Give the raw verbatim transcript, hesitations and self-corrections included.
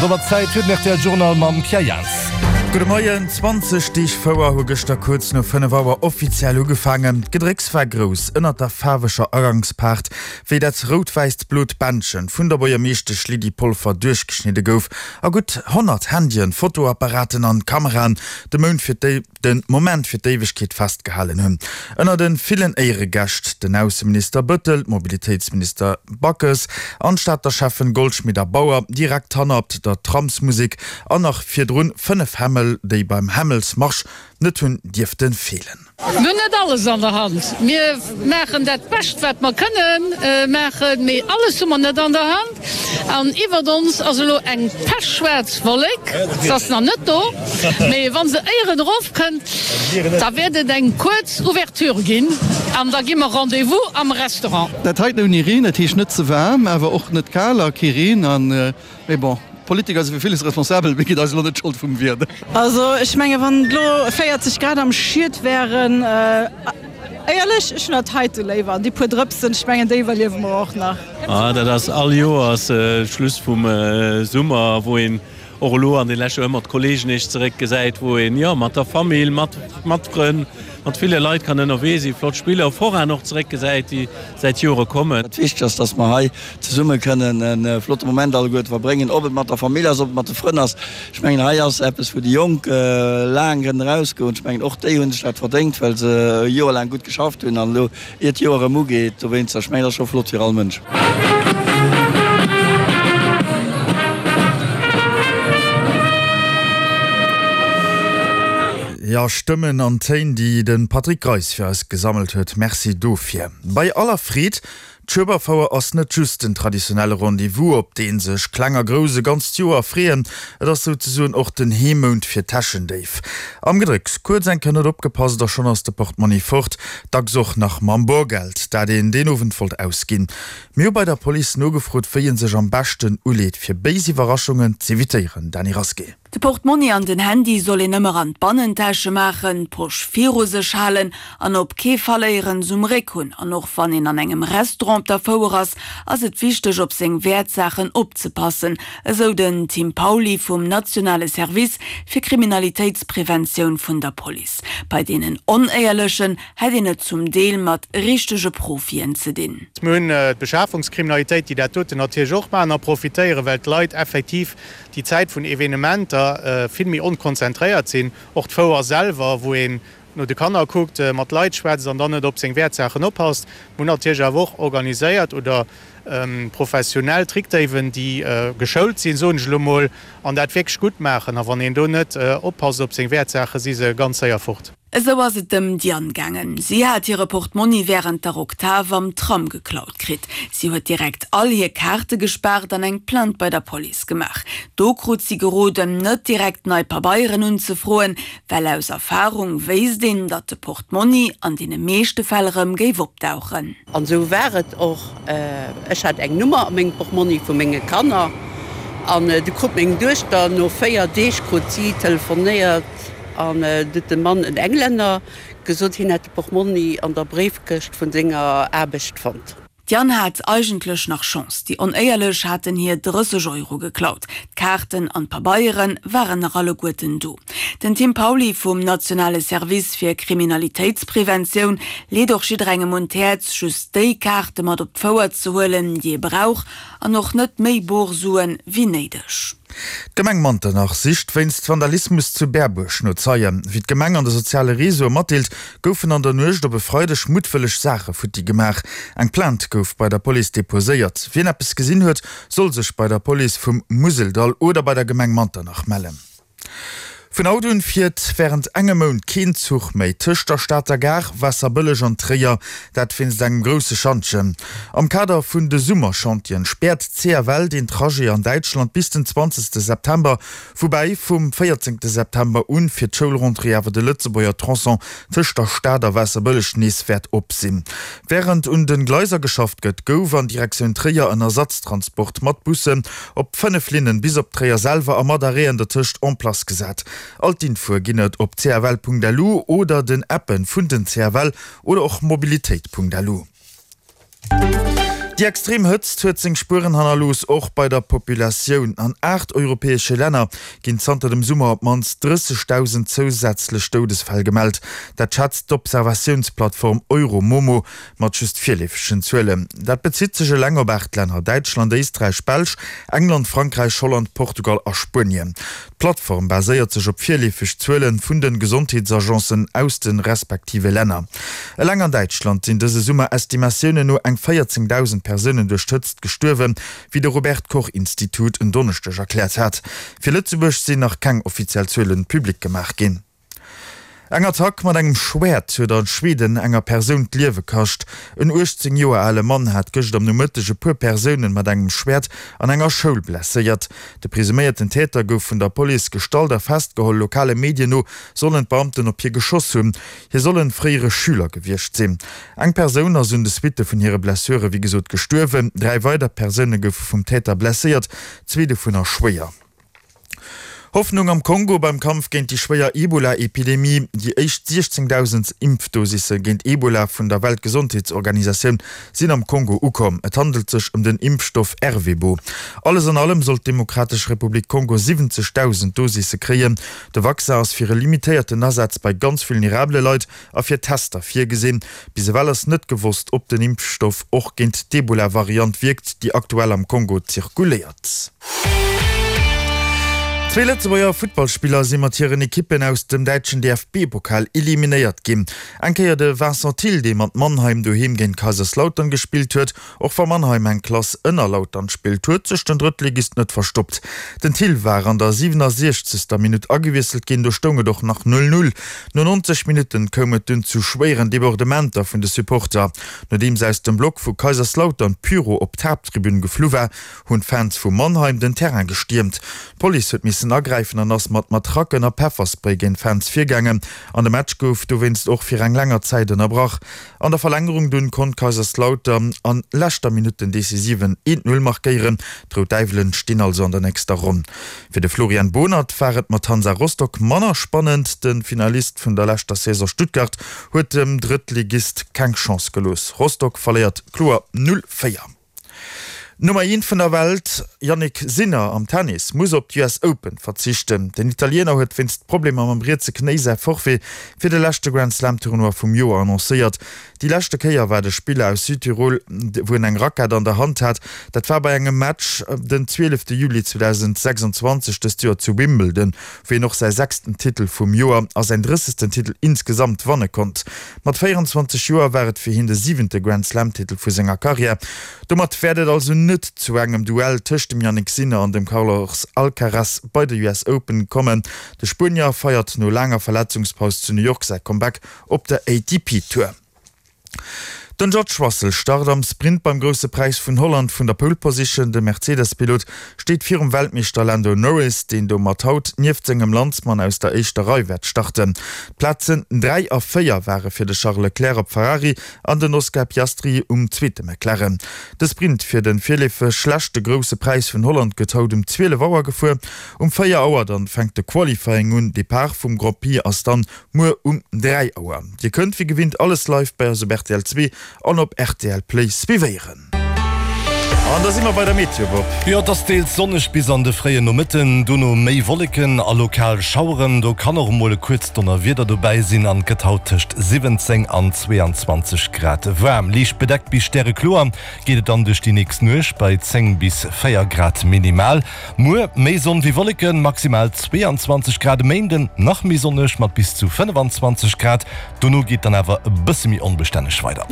An domat Zäit fir den rtl Journal mam Pierre Jans. Gudde Moien, zwanzeg Deeg Fouer hu gëschter kuerz no fënnef Auer offiziell ugefaangen. D'Gedrécks war grouss ënnert der faarweger Agangspaart, wéi dat rout-wäisst-blot Bändchen vun der Buergermeeschtesch Lydie Polfer duerchgeschnidde gouf a gutt honnert Handyen, Fotoapparaten an Kameraen de Mount fir de Moment fir d'Éiwegkeet festgehalen hunn. Ënner de villen Éieregäscht den Ausseminister Bëttel, d'Mobilitéitsminister Backes an d'Stater Schäffen Goldschmidt a Bauer, direkt hannert der Tramsmusek an nach virdrun fënnef Hämmel, déi beim Hämmelsmarsch net hunn dierfte feelen. Mir hunn net alles an der Hand. Mir maachen dat Bescht, wat mer kënne maachen, mee alles hu mer net an der Hand. An iwwert ons ass elo eng pechschwaarz Wollek. Se ass nach net do, mee wa se éieren erofkënnt, da wäert et eng kuerz Ouverture ginn an da gi mer Rendez-vous am Restaurant. Dat heiten ouni Reen, dat heescht net ze waarm, awer och net kal a kee Reen. An, mee bon, d'Politiker si fir villes responsabel, mee gitt eis elo net d'Schold vum Wieder. Also ech menge wann et elo véierzeg Grad am Schied wären, éierlech, ech hunn dat heite léiwer. An déi puer Drëpsen, ech mengen déi iwwerliewe mer och nach. Ah, dat ass all Joers Schluss vum Summer, wou een och elo an de leschte ëmmer d'Kollegen eech zeréck gesäit, wou een, jo, mat der Famill, mat, mat Frënn, mat ville Leit kann ënnerwee sinn, flott Spiller, Forainen och zeréck gesäit, déi säit Jore kommen. Wichteg ass, dass mer hei zesumme kënnen e flotte Moment alleguerte verbréngen, ob et mat der Famill ass, ob et mat de Frënn ass. Ech mengen, hei ass eppes, wou déi Jonk laang kënnen erausgoen. Ech mengen, och déi hu sech dat verdéngt, well se e Joer laang gutt geschafft hunn an elo, ier d'Joer erëm ugeet, dowéinster, ech mengen, dat ass scho flott fir all Mënsch. Jo, Stëmmen an Téin, déi de Patrick Greis fir eis gesammelt huet. Merci dofir. Bei aller Freed, d'Schueberfouer ass net just den traditionelle Rendez-vous, op dee sech Kleng a Grouss e ganzt Joer freeën. Et ass souzesoen och den Heemount fir Täschendéif. Am Gedrécks, kuerz eng Kéier net opgepasst a schonn ass de Portmonni fort, dacks och nach mam Borgeld, dat een deen Owend wollt ausginn. Mir hu bei der Police nogefrot, wéi ee sech am beschten uleet, fir béis Iwwerraschungen z'evitéieren. Dany Rasqué. De Portmonni an den Handy soll een ëmmer an d'Bannentäsche maachen, d'Posch viru sech halen an op kee Fall éierens um Réck hunn. An och wann een an engem Restaurant op der Fouer ass, ass et wichteg op seng Wäertsaachen opzepassen, esou den Tim Pauly vum nationale Service fir Kriminalitéitspreventioun vun der Police. Bei deenen Onéierlechen hätt een et zum Deel mat richtege Profien ze dinn. Mir hunn d'Beschafungskriminalitéit, déi dat doten natierlech och maachen a profitéieren, well d'Leit effektiv déi Zäit vun Evenementer vill méi onkonzentréiert sinn. Och d'Fouer selwer, wou een no de Kanner kuckt, mat Leit schwätzt an dann net op seng Wäertsaachen oppasst. Mir hunn natierlech awer och organiséiert oder professionell Trickdéiwen, déi geschoult sinn, soen ech elo mol, an dat wierklech gutt maachen. A wann een do net oppasst op seng Wäertsaachen, si se ganz séier fort. Esou ass et dem Diane gaangen. Si hat hire Portmonni wärend der Oktav am Tram geklaut kritt. Si huet direkt all hir Kaarte gespaart an eng Plainte bei der Police gemaach. Do krut si geroden, net direkt nei Pabeieren unzefroen, well aus Erfarung wéisst een, datt de Portmonni an deene meeschte Fäll erëm géif opdauchen. An esou war et och. Ech hat eng Nummer a mengem Portmonni vu menge Kanner an du krut meng Duechter no véier Deeg krut si telefonéiert, An du huet de Mann, en Englänner, gesot, hien hätt de Portmonni an der Bréifkëscht vun senger Aarbecht fonnt. D'Diane hat eigentlech nach Chance, déi Onéierlech haten hir drësseg Euro geklaut, d'Kaarten an d'Pabeiere waren nach alleguerten do. Den Tim Pauly vum nationale Service fir Kriminalitéitspreventioun leet och jidderengem un d'Häerz, just déi Kaarte mat op d'Fouer ze huelen, déi ee brauch, an och net méi bor Suen wéi néideg. D'Gemeng Manternach sicht wéinst Vandalismus zu Berbuerg no Zeien. Wéi d'Gemeng an de soziale Reseaue matdeelt, goufen an der Nuecht op e Freideg muttwëlleg Saache futti gemaach. Eng Plainte gouf bei der Police deposéiert. Wien eppes gesinn huet, soll sech bei der Police vum Museldall oder bei der Gemeng Manternach mellen. Vun haut un fiert wärend engem Mount keen Zuch méi tëscht der Stater Gare, Waasserbëlleg an Tréier, dat wéinst engem grousse Schantjen. Am Kader vun de Summerchantieren späert d'CFL deen Trajet an Däitschland bis den zwanzegste September, woubäi vum véierzéngte September un fir d'Schoulrentrée awer de Lëtzebuerger Tronçon tëscht der Stad a Waasserbëlleg nees wäert op sinn. Wärend un de Gleiser geschafft gëtt, gouf an Direktioun Tréier en Ersatztransport mat Bussen op fënnef Linnen bis op Tréier selwer a mat Arrêten dertëscht en place gesat. All d'Infoe ginn et op cfl.lu oder den Appen vun den cfl oder och mobilitéit.lu. Déi extrem Hëtzt huet seng Spueren hannerlooss, och bei der Populatioun. An aacht europäesche Länner ginn zanter dem Summer op d'mannst drëssegdausend zousätzlech Doudesfäll gemellt. Dat schätzt d'Observatiounsplattform Euromomo mat just virleefegen Zuelen. Dat bezitt sech eleng op aacht Länner, Däitschland, Éisträich, Belsch, England, Frankräich, Holland, Portugal a Spuenien. D'Plattform baséiert sech op virleefeg Zuele vun de Gesondheetsagencen aus de respektive Länner. Eleng an Däitschland sinn dëse Summer Estimatiounen no eng véierzéngdausend Persounen duerch d'Hëtzt gestuerwen, wéi de Robert Koch Institut en Donneschdeg erkläert hat. Fir Lëtzebuerg sinn nach keng offiziell Zuele public gemaach ginn. Eng Attack mat engem Schwäert huet a Schweden enger Persoun d'Liewe kascht. En uechtzéng Joer ale Mann hat gëscht am Nomëtteg e puer Persounen mat engem Schwäert an enger Schoul blesséiert. De presuméierten Täter gouf vun der Police gestallt a festgeholl. Lokale Medien no sollen d'Beamten op hie geschoss hunn. Hie soll en fréiere Schüler gewiescht sinn. Eng Persoun ass un de Suitte vun hire Blessure wéi gesot gestuerwen. Dräi weider Persoune goufe vum Täter blesséiert, zwee dovunner schwéier. Hoffnung am Kongo beim Kampf géint déi schwéier Ebola-Epidemie. Déi éischt siechzéngdausend Impfdosisse géint Ebola vun der Weltgesondheetsorganisatioun sinn am Kongo ukomm. Et handelt sech ëm den Impfstoff Ervebo. Alles an allem soll d'Demokratesch Republik Kongo siwwenzegdausend Dosisse kréien. De Vaccin ass fir e limitéierten Asaz bei ganz vulnerabele Leit a fir Tester virgesinn. Bis ewell ass net gewosst, ob den Impfstoff och géint d'Ebola-Variant wierkt, déi aktuell am Kongo zirkuléiert. Zwee Lëtzebuerger Futtballspiller si mat hiren Ekippen aus dem däitschen D F B-Pokal eliminéiert ginn. Eng Kéier de Vincent Thill, dee mat Mannheim doheem géint Kaiserslautern gespillt huet. Och wa Mannheim eng Klass ënner Lautern spillt, huet sech den Drëttligist net verstoppt. Den Thill war an der siwenasiechzegster Minutt agewiesselt ginn, do stoung et och nach null null. No neunzeg Minutten koum et dunn zu schwéieren Debordementer vun de Supporter. Nodeems aus dem Block vu Kaiserslautern Pyro op d'Haapttribün geflu war, hunn d'Fans vu Mannheim den Terrain gestiermt. D'Police huet missen agräifen an ass mat Matracken a Pefferspray géint d'Fans virgaangen an de Match gouf dowéinst och fir eng länger Zäit ënnerbrach. An der Verlängerung dunn konnt Kaiserslautern an leschter Minutt den decisiven eent Null markéieren. D'Rout Däiwelen stinn also an der nächster Ronn. Fir de Florian Bohnert war et mat Hansa Rostock manner spannend. De Finalist vun der leschter Saison Stuttgart huet dem Drëttligist keng Chance gelooss. Rostock verléiert kloer null véier. D'Nummer eent vun der Welt Jannik Sinner am Tennis muss op d'U S Open verzichten. Den Italiener huet wéinst Problemer mam rietse Knéi säi Forfait fir de leschte Grand Slam Tournoi vum Joer annoncéiert. Déi leschte Kéier war de Spiller aus Südtirol, wou en eng Rackett an der Hand hat, dat war bei engem Match den zwielefte Juli zweedausendsechsundzwanzeg dëst Joer zu Wimbledon, wou hien och säi sechsten Titel vum Joer a säin drëssegsten Titel insgesamt wanne konnt. Mat véierenzwanzeg Joer war et fir hien de siwente Grand Slam Titel vu senger Karriär. Domat wäert et also net zu engem Duell tëscht dem Jannik Sinner an dem Carlos Alcaraz bei de U S Open kommen. De Spuenier feiert no laanger Verletzungspaus zu New York säi Comeback op der A T P Tour. Den George Russell start am Sprint beim Grousse Präis vun Holland vun der Pole Position. De Mercedes-Pilot steet virum Weltmeeschter Lando Norris, deen domat haut nieft sengem Landsmann aus der éischter Rei wäert starten. D'Plazen dräi a véier ware fir de Charles Leclerc op Ferrari an den Oscar Piastri um zweete McLaren. De Sprint fir de virleefeg leschte Grousse Präis vun Holland gëtt haut um zwielef Auer gefuer. Um véier Auer dann fänkt de Qualifying un. Depart vum Grand Prix ass dann muer um dräi Auer. Dir kënnt wéi gewinnt alles live bei eis op R T L zwee an op R T L Play suivéieren. An da si mer bei der Meteo, Bob. Jo, et ass deels sonneg bis an de fréien Nomëtten, dono méi Wolleken a lokal Schaueren. Do kann och emol e kuerzt Donnerwieder dobäi sinn an et gëtt haut tëscht siwwenzéng an zweeanzwanzeg Grad waarm. Liicht bedeckt bis stärekloer geet et dann duerch déi nächst Nuecht bei zéng bis véier Grad minimal. Muer méi Sonn wéi Wolleken, maximal zweeanzwanzeg Grad. E Méinden nach méi sonneg mat bis zu fënnefanzwanzeg Grad, dono geet dann awer e bësse méi onbestänneg weider.